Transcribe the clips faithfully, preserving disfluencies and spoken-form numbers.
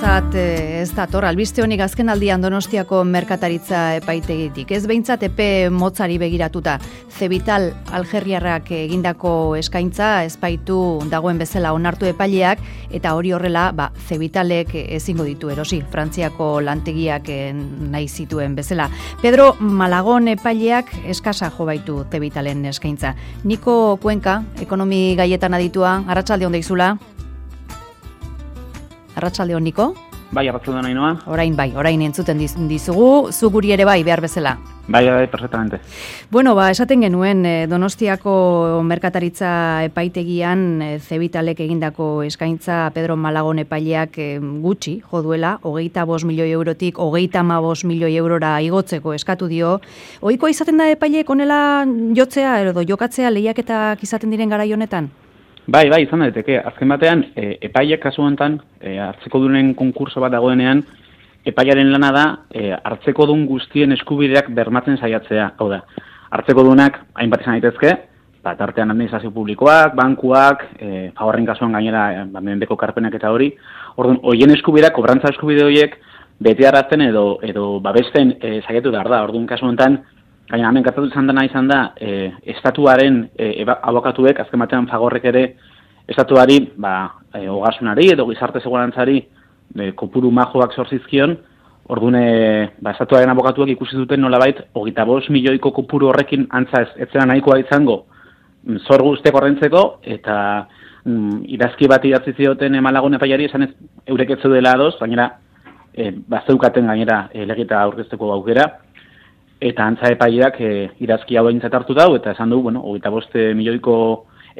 ontzat ez dator, albiste honik azken aldian Donostiako merkataritza epaitegitik. Ez behintzat epe motzari begiratuta. Zebital Algeriarrak egindako eskaintza ezpaitu dagoen bezala onartu epaileak, eta hori horrela, ba, Zebitalek ezingo ditu erosi, Frantziako lantegiak nahi zituen bezala. Pedro Malagon epaileak eskasa jo baitu Zebitalen eskaintza. Niko Kuenka, ekonomi gaietan aditua, arratsalde on deizula. Arratsalde on, Niko? Bai, arratsalde on, Ainoa. Orain bai, orain entzuten dizugu, zu guri ere bai, behar bezala. Bai, bai, perfectamente. Bueno, ba, esaten genuen, Donostiako merkataritza epaitegian Zebitalek egindako eskaintza Pedro Malagon epaileak gutxi jo duela, hogeita bost milioi eurotik hogeita hamabost milioi eurora igotzeko eskatu dio. Ohikoa izaten da epaileek honela jotzea edo jokatzea lehiaketak izaten diren garai honetan? Bai, bai, izan daiteke. Azken batean, e, epaileak kasu honetan, e, hartzekodunen konkurso bat dagoenean, epailearen lana da, e, hartzekodun guztien eskubideak bermatzen saiatzea. Hau da, hartzekodunak hainbat izan daitezke, ba, tartean administrazio publikoak, bankuak, e, favorren kasuan gainera, ba, mendeko karpenak eta hori. Orduan, hoien eskubideak, kobrantza eskubide horiek, bete arrazten edo, edo babesten e, saiatu behar da. Orduan, kasu honetan, gaina hemen gertatu izan dena izan da, e, estatuaren e, abokatuek, azken batean Fagorrek ere, estatuari, ba, e, ogasunari edo gizarte segurantzari e, kopuru majoak sorzizkion, orduan, e, ba, estatuaren abokatuek ikusi duten nolabait, hogeita bost milioiko kopuru horrekin antza ez, ez zera nahikoa izango, zor guztiak ordaintzeko, eta mm, idazki bat idatzi zioten Malagon epaileari esan ez eurek ez zeudela ados, gainera, e, bazeukaten gainera e, legita aurkezteko aukera, eta antza epaileak e, irazki hau aintzat hartu dau, eta esan du, bueno, hogeita bost milioiko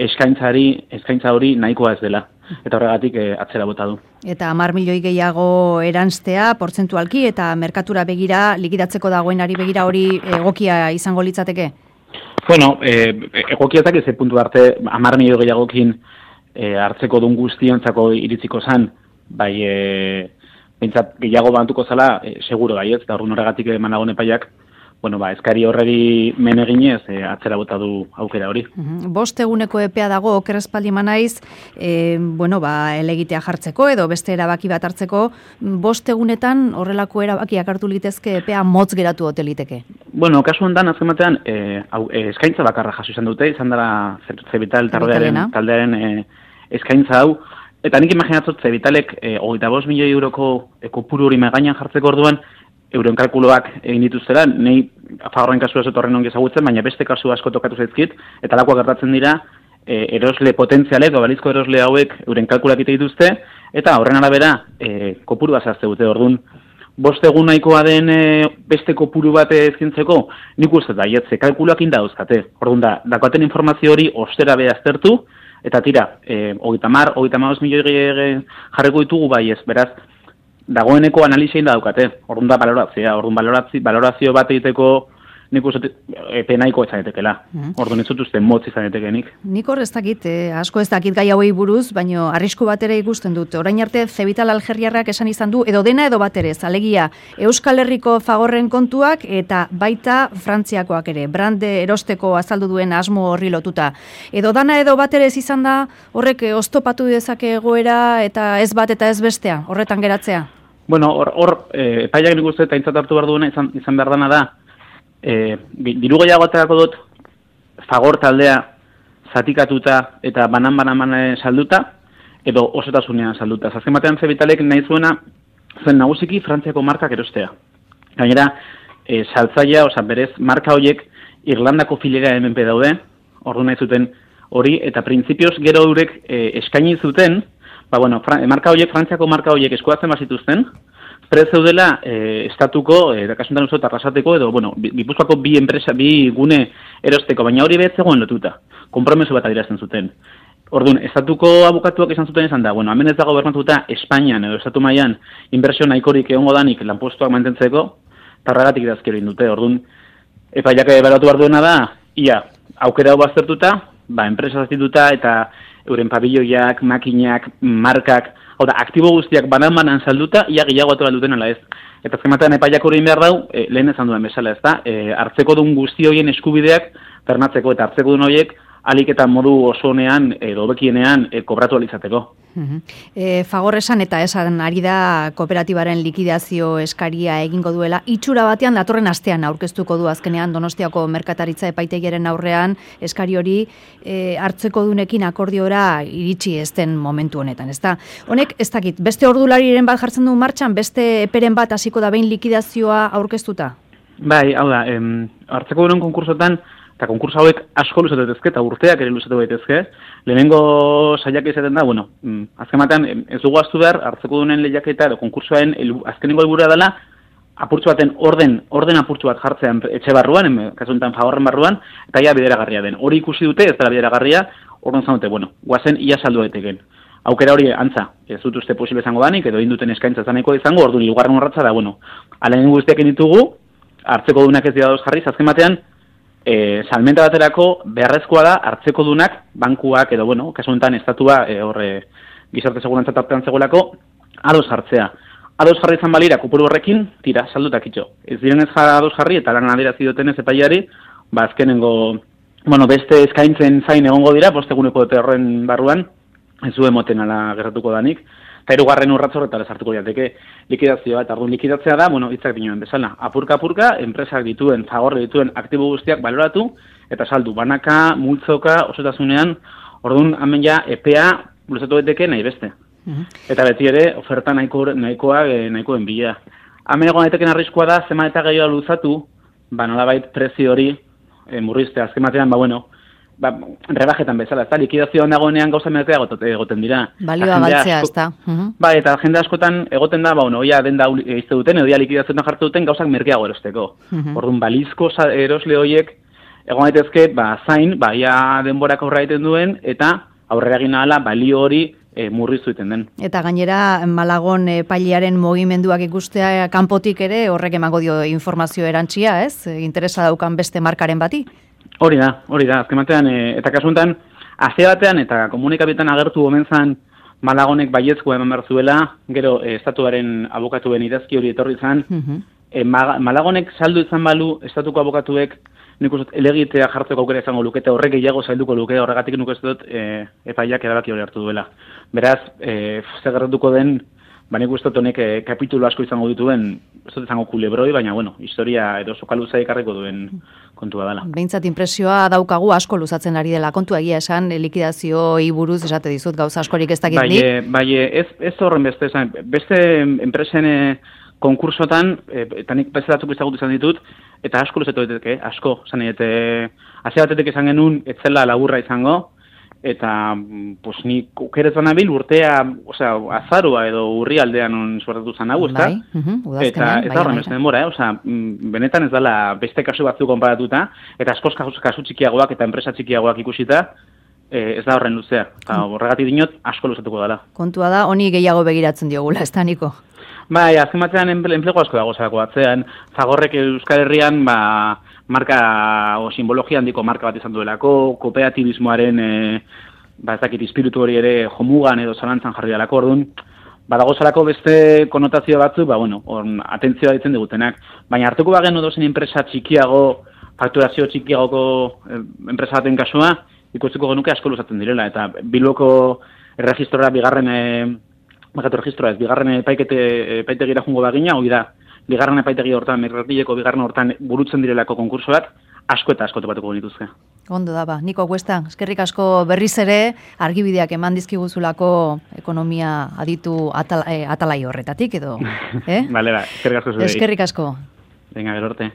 eskaintzari, eskaintza hori nahikoa ez dela. Eta horregatik e, atzera bota du. Eta hamar milioi gehiago eranztea, portzentualki, eta merkatura begira, likidatzeko dagoenari begira hori egokia izango litzateke? Bueno, e, egokiatak ez puntu arte, hamar milioi gehiagokin e, hartzeko dun guztiontzako iritziko zan, bai, e, bintzat gehiago bantuko zala, e, seguro bai ez, eta horregatik Malagon epaileak, bueno, ba, eskari horreri men eginez, e, atzera bota du aukera hori. Uh-huh. Bost eguneko epea dago, oker espaldi manaiz, e, bueno, ba, elegitea jartzeko edo beste erabaki bat hartzeko, bost egunetan horrelako erabakiak hartu litezke epea motz geratu hoteliteke? Bueno, kasu hontan azken batean, e, e, eskaintza bakarra jaso izan dute, izan dara Zebital taldearen, taldearen e, eskaintza hau, eta nik imaginatzot Zebitalek e, hogeita bost milioi euroko e, kopuru hori megainan jartzeko orduan, euren kalkuloak egin dituztera, nahi Fagorren kasua ez horren ongi ezagutzen, baina beste kasu asko tokatu zaizkit, eta lakoak gertatzen dira, e, erosle potentzialek, balizko erosle hauek euren kalkulak ite dituzte, eta horren arabera, e, kopuru bazazte dute, orduan, bost egun nahikoa den e, beste kopuru bat ezkintzeko, nik uste da, jetze, kalkuloak inda dauzkate, orduan da, dakoaten informazio hori ostera behaztertu, eta tira, e, hogeita mar, hogeita hamabost milioi jarriko ditugu bai ez, beraz, dagoeneko analizia da daukate, orduan da balorazioa, orduan balorazio, balorazio bat egiteko nik uste epe nahiko izan etekela. Mm. Orduan ez dut uste motz izan etekenik. Nik hor ez dakit, eh, asko ez dakit gai hauei buruz, baino arrisku bat ere ikusten dut. Orain arte Zebital Algeriarrak esan izan du, edo dena edo bat ere, alegia Euskal Herriko Fagorren kontuak eta baita Frantziakoak ere, brande erosteko azaldu duen asmo horri lotuta. Edo dana edo bat ere ez izan da, horrek oztopatu dezake egoera eta ez bat eta ez bestea, horretan geratzea? Bueno, hor, hor eh, epaileak nik uste eta aintzat hartu behar duena izan, izan behar dana da, e, diru gehiago aterako dut Fagor taldea zatikatuta eta banan-banan salduta, edo osotasunean salduta. Azken batean Zebitalek nahi zuena zen nagusiki Frantziako markak erostea. Gainera, e, saltzaia, oza, berez, marka horiek Irlandako filera hemen daude, ordu nahi zuten hori, eta printzipioz gero eurek e, eskaini zuten, ba, bueno, Fran- marka horiek, Frantziako marka horiek eskuatzen bazituzten, prez zeudela e, estatuko, e, kasuntan uste arrasateko, edo, bueno, Gipuzkoako bi enpresa, bi gune erosteko, baina hori behar zegoen lotuta, konpromeso bat adierazten zuten. Orduan, estatuko abokatuak esan zuten esan da, bueno, hemen ez dago bermatuta Espainian edo estatu mailan inbertsio nahikorik egongo danik lanpostuak mantentzeko, tarragatik idazkero indute. Orduan, epaileak ebaluatu behar duena da, ia, aukera hau baztertuta, ba, enpresa zazituta eta euren pabilloiak, makinak, markak, hau da, aktibo guztiak banan-banan salduta, ia gehiago atu duten ala ez. Eta azkematean epaileak hori behar dau, e, lehen esan duen bezala ez da, e, hartzeko duen guzti horien eskubideak bermatzeko eta hartzeko duen horiek alik eta modu osonean edo bekienean e, kobratu alizateko. Uh-huh. E, Fagor esan eta esan ari da kooperatibaren likidazio eskaria egingo duela. Itxura batean datorren astean aurkeztuko du azkenean Donostiako merkataritza epaitegiaren aurrean eskari hori e, hartzeko dunekin akordiora iritsi ezten momentu honetan. Ezta? Honek ez dakit, beste ordulariren bat jartzen du martxan, beste eperen bat hasiko da behin likidazioa aurkeztuta? Bai, hau da, em, hartzeko duen konkursotan, eta konkurso hauek asko luzatu daitezke, eta urteak ere luzatu daitezke. Lehenengo saiak izaten da, bueno, azken batean, ez dugu aztu behar, hartzeko dunen lehiaketa edo konkursoaren azkenengo helburua dela, apurtzu baten orden, orden apurtzu bat jartzean etxe barruan, kasu honetan Fagorren barruan, eta ia bideragarria den. Hori ikusi dute, ez dela bideragarria, orduan zan dute, bueno, guazen ia saldu daiteken. Aukera hori antza, ez dut uste posible izango danik, edo induten eskaintza zaneko izango, orduan hirugarren urratsa da, bueno, ala guztiak ditugu, hartzeko dunak ez dira dauz jarriz, azken batean, E, salmenta baterako beharrezkoa da hartzeko dunak, bankuak edo, bueno, kasu honetan estatua e, horre gizarte segurantza tartean zegoelako, ados jartzea. Ados jarri izan balira, kopuru horrekin, tira, saldutak itxo. Ez direnez jara ados jarri, eta lan adierazi dutenez epaiari, ba azkenengo, bueno, beste eskaintzen zain egongo dira, posteguneko dute horren barruan, ez du emoten ala gertatuko danik, eta hirugarren urratz horretara sartuko jateke likidazioa, eta orduan likidatzea da, bueno, hitzak dinoen bezala. Apurka-apurka, enpresak dituen, Fagorre dituen aktibo guztiak baloratu, eta saldu, banaka, multzoka, osotasunean, orduan hemen ja epea luzatu daiteke nahi beste. Uh-huh. Eta beti ere, oferta nahiko, nahikoa, nahikoen bila. Hemen egon daiteken arriskua da, zema eta gehiago luzatu, ba nolabait prezio hori e, murrizte, azken batean, ba bueno, ba, rebajetan bezala, ezta, likidazioan dagoenean gauza merkea egoten dira. Balioa galtzea, ezta. Uh-huh. Ba, eta jende askotan egoten da, ba, bueno, oia denda izte duten, edo ja likidazioetan jartu duten gauzak merkeago erosteko. Uh-huh. Orduan, balizko erosle horiek, egon daitezke, ba, zain, ba, ia denborak aurra egiten duen, eta aurrera egin ahala balio hori e, murriztu egiten den. Eta gainera, Malagon epailearen mugimenduak ikustea kanpotik ere, horrek emango dio informazio erantsia, ez? Interesa daukan beste markaren bati? Hori da, hori da, azken batean, e, eta kasuntan, azia batean eta komunikabitan agertu omen zan Malagonek baiezkoa eman behar zuela, gero e, estatuaren abokatuen idazki hori etorri zan, uh-huh. e, Malagonek saldu izan balu, estatuko abokatuek, nik uste elegitea jartzeko aukera izango lukete, horrek gehiago zailduko luke, horregatik nik uste dut e, epaiak erabaki hori hartu duela. Beraz, e, zer gertatuko den, ba nik uste dut honek e, kapitulu asko izango dituen, ez dut izango kulebroi, baina, bueno, historia edo sokaluza ikarriko duen kontua dela. Behintzat impresioa daukagu asko luzatzen ari dela kontua egia esan, likidazioei buruz esate dizut gauza askorik ez dakit nik. Bai, bai, ez, ez horren beste, esan, beste enpresen e, konkursotan, e, eta nik beste datzuk izagut izan ditut, eta asko luzatu daiteke, asko, zan eta hasi batetik izan genuen, etzela laburra izango, eta pues ni ukerez banabil urtea, osea, azarua edo urri aldean on suertatu zan hau, ezta? Bai, uh-huh, eta ez da horren beste denbora, eh? Osea, benetan ez dela beste kasu batzu konparatuta, eta askoz kasu, kasu txikiagoak eta enpresa txikiagoak ikusita, eh, ez da horren luzea. Eta horregatik dinot, asko luzatuko dela. Kontua da, honi gehiago begiratzen diogula, ez da, Niko? Bai, azken batean enplegu asko dago zako atzean. Fagorrek Euskal Herrian, ba, marka o simbologia handiko marka bat izan duelako, kooperatibismoaren e, ba ez dakit espiritu hori ere jomugan edo zalantzan jarri dalako, orduan badago zalako beste konotazio batzu, ba bueno, on atentzioa ditzen digutenak, baina hartuko bagenu dozen enpresa txikiago, fakturazio txikiagoko e, enpresa baten kasua, ikusteko genuke asko luzatzen direla, eta Bilboko erregistrora bigarren e, Bagatu registroa ez, bigarren epaikete epaitegira jungo bagina, hori da, bigarren epaitegi hortan, merratileko bigarren hortan burutzen direlako konkursoak, asko eta asko topatuko genituzke. Ondo da, ba. Niko Cuesta, eskerrik asko berriz ere, argibideak eman dizkiguzulako ekonomia aditu atal, eh, atalai horretatik, edo? Eh? Bale, ba, eskerrik asko zure. Eskerrik asko. Venga, gero arte.